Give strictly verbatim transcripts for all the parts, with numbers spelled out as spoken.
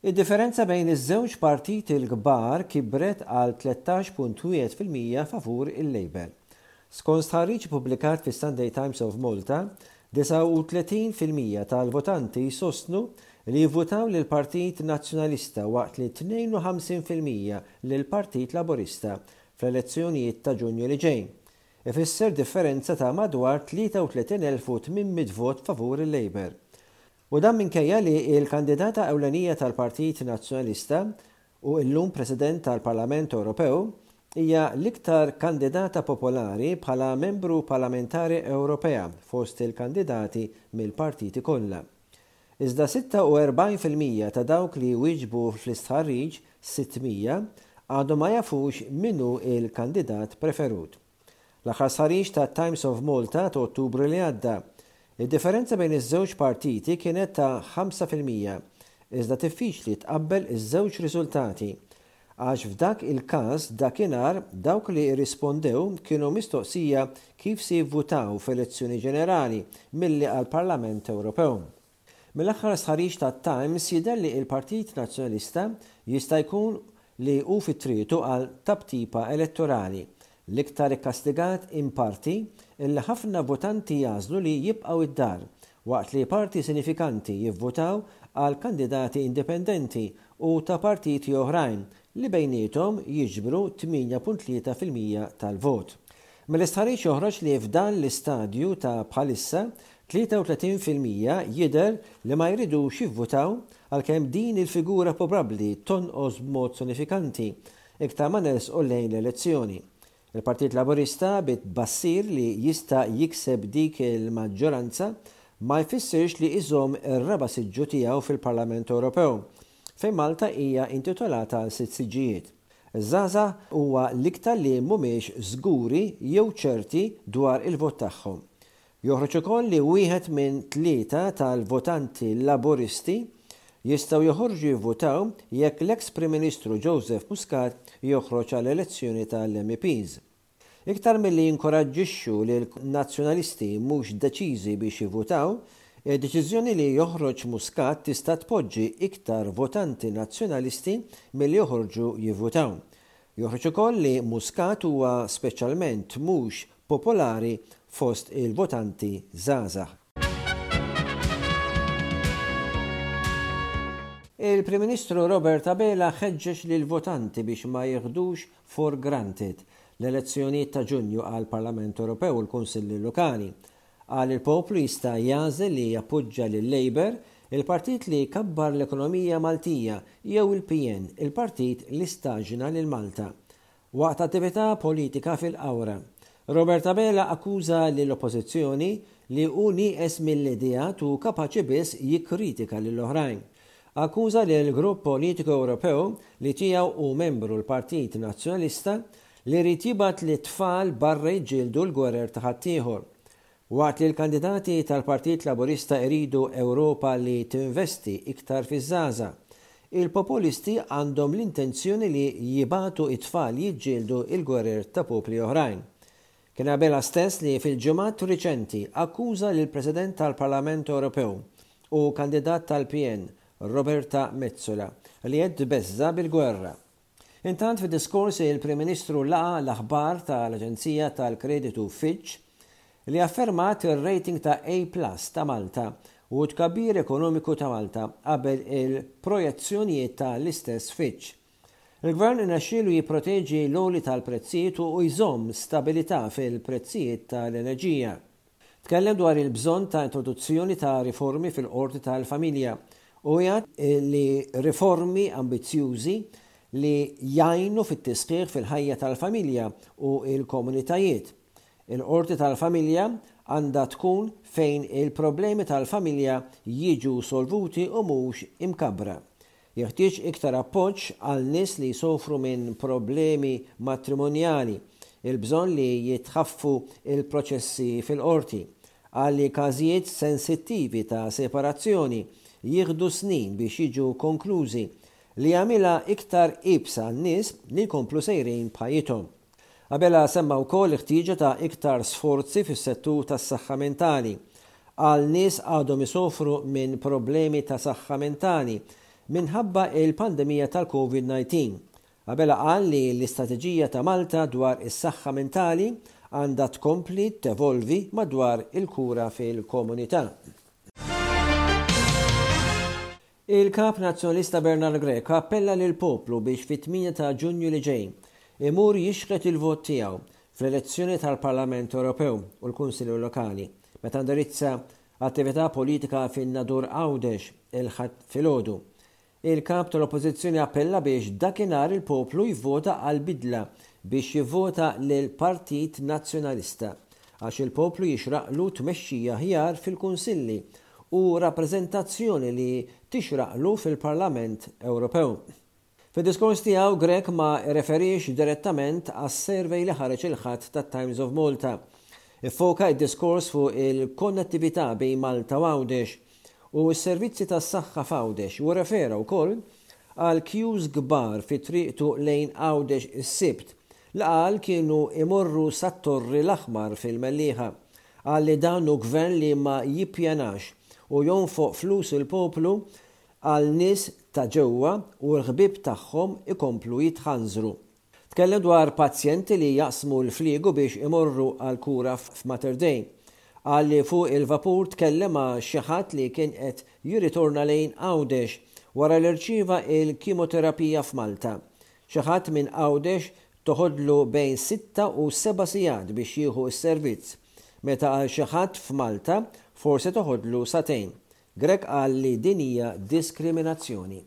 Id-differenza bejn iż-żewġ partiti l-kbar kibret għal tlettax punt wieħed fil-mija favur il-Labour. Skont stħarriġ ippubblikat fis-Sunday Times of Malta, disgħa u tletin fil-mija tal-votanti sostnu li jivvutaw lil Partit Nazzjonalista, waqt li tnejn u ħamsin fil-mija lil Partit Laburista fl-elezzjonijiet ta' Ġunju li ġej. Ifisser differenza ta' madwar tlieta u tletin elf u tmien mitt vot favur il-Labour. U dan minkejja li il-kandidata ewlenija tal-Partit Nazzjonalista u illum President tal-Parlament Ewropew hija l-iktar kandidata popolari bħala membru parlamentari Ewropea fost il-kandidati mill-partiti kollha. Iżda sitta u erbgħin fil-mija ta' dawk li wieġbu fl-istħarriġ, sitt mija, għadhom ma jafux min hu il-kandidat preferut. L-aħħar stħarriġ ta' Times of Malta ta' Ottubru li għadda, id-differenza bejn iż-żewġ partiti kienet ta' ħamsa fil-mija, iżda diffiċli tqabbel iż-żewġ riżultati, għax f'dak il-każ dakinhar dawk li rrispondew kienu mistoqsija kif se jivvutaw f'elezzjoni ġenerali milli għall-Parlament Ewropew. Mill-aħħar stħarriġ ta' Times jidher li il-Partit Nazzjonalista jista' jkun li hu fit-triqtu għal taptipa elettorali, l-iktar ikkastigat in parti illi ħafna votanti jagħżlu li jibqgħu id-dar, waqt li parti sinifikanti jivvotaw għal kandidati indipendenti u ta' partiti oħrajn li bejnietom jiġbru tmienja punt tlieta fil-mija tal-vot. Mill-istħarriġ joħroġ li f'dan l-istadju ta' bħalissa tlieta u tletin fil-mija jidher li ma jridux jivvotaw, għalkemm din il-figura probabbli tonqos b'mod sinifikanti iktar ma nersqu lejn l-elezzjoni. Il-Partit Laburista, bit-tbassir li jista' jikseb dik il-maġġoranza, ma jfissirx li iżomm ir-raba' siġġu tiegħu fil-Parlament Ewropew, fejn Malta hija intitolata għal sitt siġġijiet. Iż-żgħażagħ huwa l-iktar li mhumiex żguri jew ċerti dwar il-vot tagħhom. Joħroġ ukoll li wieħed minn tlieta tal-votanti Laburisti jistgħu joħorġu jivvotaw jekk l-ex Prim Ministru Joseph Muscat joħroġ għall elezzjoni tal-M E Ps. Iktar milli jinkoraġġixxu lil nazzjonalisti mhux deċiżi biex jivvotaw, id-deċiżjoni li joħroġ Muscat tista' tpoġġi iktar votanti nazzjonalisti milli joħorġu jivvotaw. Joħroġ ukoll li Muscat huwa speċjalment mhux popolari fost il-votanti żgħażagħ. Il-Prim Ministru Robert Abela ħeġġeġ lil votanti biex ma jieħdux for granted l-elezzjonijiet ta' Ġunju għal Parlament Ewropew u l-Kunsilli Lokali. Qal il-poplu jista' jagħżel li jappoġġa lil Labour, il-partit li kabbar l-ekonomija Maltija, jew il-P N, il-partit li staġna lil Malta. Waqt attività politika fil-Qawra, Robert Abela akkuża lill-oppożizzjoni li hu nieqes mill-ideat u kapaċi biss jikkritika lill-oħrajn. Akkuża li l-grupp politiku Ewropew li tiegħu hu membru l-Partit Nazzjonalista li jrid jibgħat lit-tfal barra jiġġieldu l-gwerer ta' ħaddieħor. Waqt li l-kandidati tal-Partit Laburista iridu Ewropa li tinvesti iktar fiż-żgħażagħ, il-populisti għandhom l-intenzjoni li jibagħtu it-tfal jiġġieldu il-gwerer ta' popli oħrajn. Kien Abela stess li fil-ġimgħat riċenti akkuża lil President tal-Parlament Ewropew u kandidat tal-P N Roberta Metsola li qed tbeżża' bil-gwerra. Intant, fi diskors il-Prim Ministru laqa l-aħbar tal-Aġenzija tal-Kreditu Fitch li affermat il-rating ta' A Plus ta' Malta u tkabbir ekonomiku ta' Malta qabel il-projezzjonijiet ta' l-istess Fitch. Il-Gvern irnexxielu jipproteġi l-għoli tal-prezzijiet u jżomm stabilità fil-prezzijiet tal-enerġija. Tkellem dwar il-bżonn ta' introduzzjoni ta' riformi fil-qorti tal-familja u jgħid li riformi ambizzjużi li jgħinu fit-tisħiħ fil-ħajja tal-familja u il-komunitajiet. Il-qorti tal-familja għandha tkun fejn il-problemi tal-familja jiġu solvuti u mhux imkabra. Jeħtieġ iktar appoġġ għal nies li jsofru minn problemi matrimonjali, il-bżonn li jitħaffu il-proċessi fil-qorti, għal każijiet sensittivi ta' separazzjoni jieħdu snin biex jiġu konklużi, li jagħmilha iktar iebsa n-nies li jkomplu sejrin b'ħajjithom. Abela semma wkoll ħtieġa ta' iktar sforzi fis-settur tas-saħħa mentali. Għal nies għadhom isofru minn problemi ta' saħħa mentali minħabba il-pandemija tal-Covid disa. Abela qal li l-istrateġija ta' Malta dwar is-saħħa mentali għandha tkompli tevolvi madwar il-kura fil-komunità. Il-Kap Nazzjonalista Bernard Grech appella lill-poplu biex fit-tmienja ta' Ġunju li ġej imur jixħet il-vot tiegħu fl-elezzjoni tal-Parlament Ewropew u l-Kunsilli Lokali meta indirizza attività politika fin-Nadur Għawdex il-Ħadd filgħodu. Il-kap tal-Oppożizzjoni appella biex dakinhar il-poplu jivvota għal bidla biex jivvota lil Partit Nazzjonalista għax il-poplu jixraqlu tmexxija aħjar fil-kunsilli u rappreżentazzjoni li tixraqlu fil-Parlament Ewropew. Fid-diskors tiegħu Grech ma referix direttament għas-survey li ħareġ il-Ħadd tat-Times of Malta. Iffoka id-diskors fuq il-konnettività bejn Malta u Għawdex u s-servizzi tas-saħħa f'Għawdex u refera wkoll għal queues kbar fi triqtu lejn Għawdex is-Sibt li qal kienu imorru sat-Torri l-Aħmar fil-Mellieħa. Qal li dan hu gvern li ma jippjanax u jonfoq flus il-poplu għal nies ta' ġewwa u l-ħbieb tagħhom ikomplu jitħanżru. Tkellem dwar pazjenti li jaqsmu l-fliegu biex imorru għal kura f'Mater Dei. Qal li fuq il-vapur tkellem ma' xi ħadd li kien qed jirritorna lejn Għawdex wara li rċieva il-kimoterapija f'Malta. Xi ħadd minn Għawdex toħodlu bejn sitta u seba' sigħat biex jieħu s-servizz, meta għal xi ħadd f'Malta forsi toħodlu sagħtejn. Grech qal li din hija diskriminazzjoni.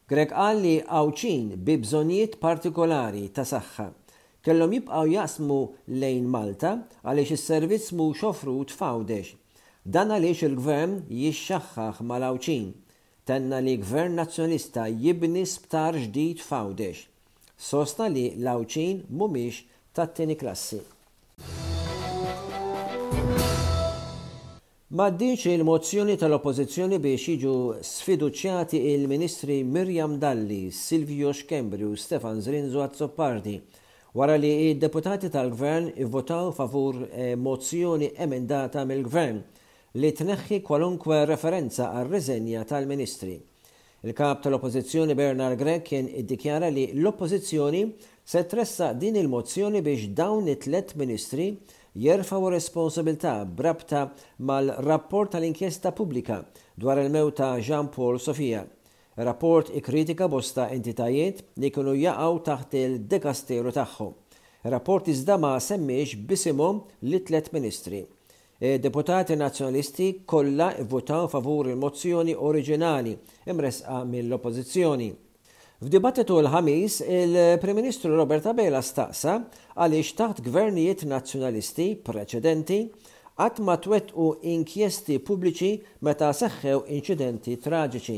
Grech qal li Għawdxin bi bżonnijiet partikolari ta' saħħa kellhom jibqgħu jaqsmu lejn Malta għaliex is-servizz mhux offrut f'Għawdex. Dan għaliex il-gvern jixxaħħaħ mal-Għawdxin. Tenna li gvern nazzjonalista jibni sptar ġdid f'Għawdex. Sostna li l-Għawdxin mhumiex tat-tieni klassi. M'għaddiex il-mozzjoni tal-Oppożizzjoni biex jiġu sfiduċjati il-Ministri Miriam Dalli, Silvio Schembri u Stefan Zrinzo Azzopardi wara li d-deputati tal-Gvern ivvotaw favur mozzjoni emendata mill-Gvern li tneħħi kwalunkwe referenza għar-riżenja tal-Ministri. Il-kap tal-Oppożizzjoni Bernard Grech kien iddikjara li l-Oppożizzjoni se tressaq din il-mozzjoni biex dawn it-tliet ministri jerfgħu responsabilità b'rabta mal-rapport tal-inkjesta pubblika dwar il-mewt ta' Jean Paul Sofia. Rapport ikkritika bosta entitajiet li kienu jaqgħu taħt il-dekasteru tagħhom. Rapport iżda ma semmiex b'isimhom li tliet ministri. Deputati nazzjonalisti kollha vvotaw favur il-mozzjoni oriġinali imresqa mill-Oppożizzjoni. F'dibattitu l-Ħamis, il-Prim Ministru Robert Abela staqsa għaliex taħt gvernijiet nazzjonalisti preċedenti qatt ma twettqu inkjesti pubbliċi meta seħħew inċidenti traġiċi.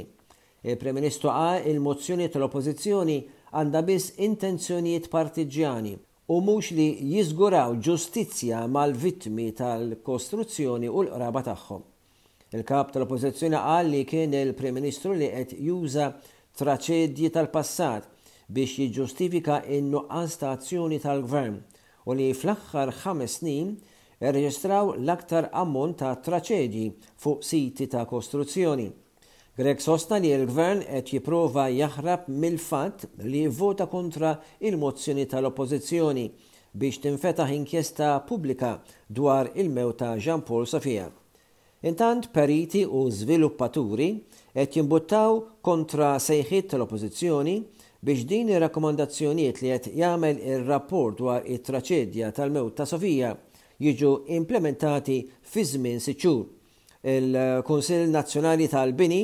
Il-Prim Ministru qal il-mozzjoni tal-Oppożizzjoni għandha biss intenzjonijiet partiġjani u mhux li jiżguraw ġustizzja mal-vittmi tal-kostruzzjoni u l-qraba tagħhom. Il-kap tal-Oppożizzjoni qal li kien il-Prim Ministru li qed juża traċedji tal-passat biex jiġġustifika n-nuqqas ta' azzjoni tal-gvern u li fl-aħħar ħames snin irreġistraw l-aktar ammont ta' traċedji fuq siti ta' kostruzzjoni. Grech sostna li l-gvern qed jipprova jaħrab mill-fatt li vvota kontra il-mozzjoni tal-Oppożizzjoni biex tinfetaħ inkjesta pubblika dwar il-mewt ta' Jean Paul Sofia. Intant periti u żviluppaturi qed jimbuttaw kontra sejħiet tal-Oppożizzjoni biex din ir-rakkomandazzjonijiet li qed jagħmel ir-rapport dwar it-traċedja tal-mewt ta' Sofia jiġu implementati fi żmien sitt xhur. Il-Kunsill Nazzjonali tal-Bini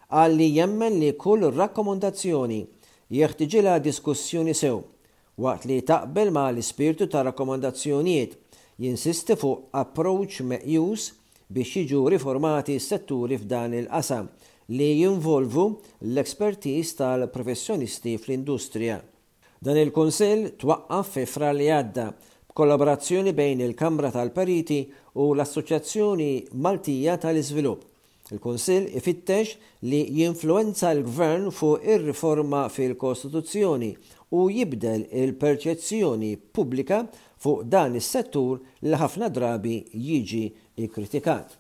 qal li jemmen li kull rakkomandazzjoni jeħtiġilha diskussjoni sew waqt li taqbel ma' l-ispirtu ta' rakkomandazzjonijiet jinsisti fuq approach meqjus biex jiġu riformati s-setturi f'dan il-qasam li jinvolvu l-expertise tal-professjonisti fl-industrija. Dan il-Kunsill twaqqaf fi Frar li għadda b'kollaborazzjoni bejn il-Kamra tal-Periti u l-Assoċjazzjoni Maltija tal-Iżvilupp. Il-Kunsill ifittex li jinfluwenza l-Gvern fuq ir-riforma fil-Kostituzzjoni u jibdel il-perċezzjoni pubblika fuq dan is-settur li ħafna drabi jiġi ikkritikat.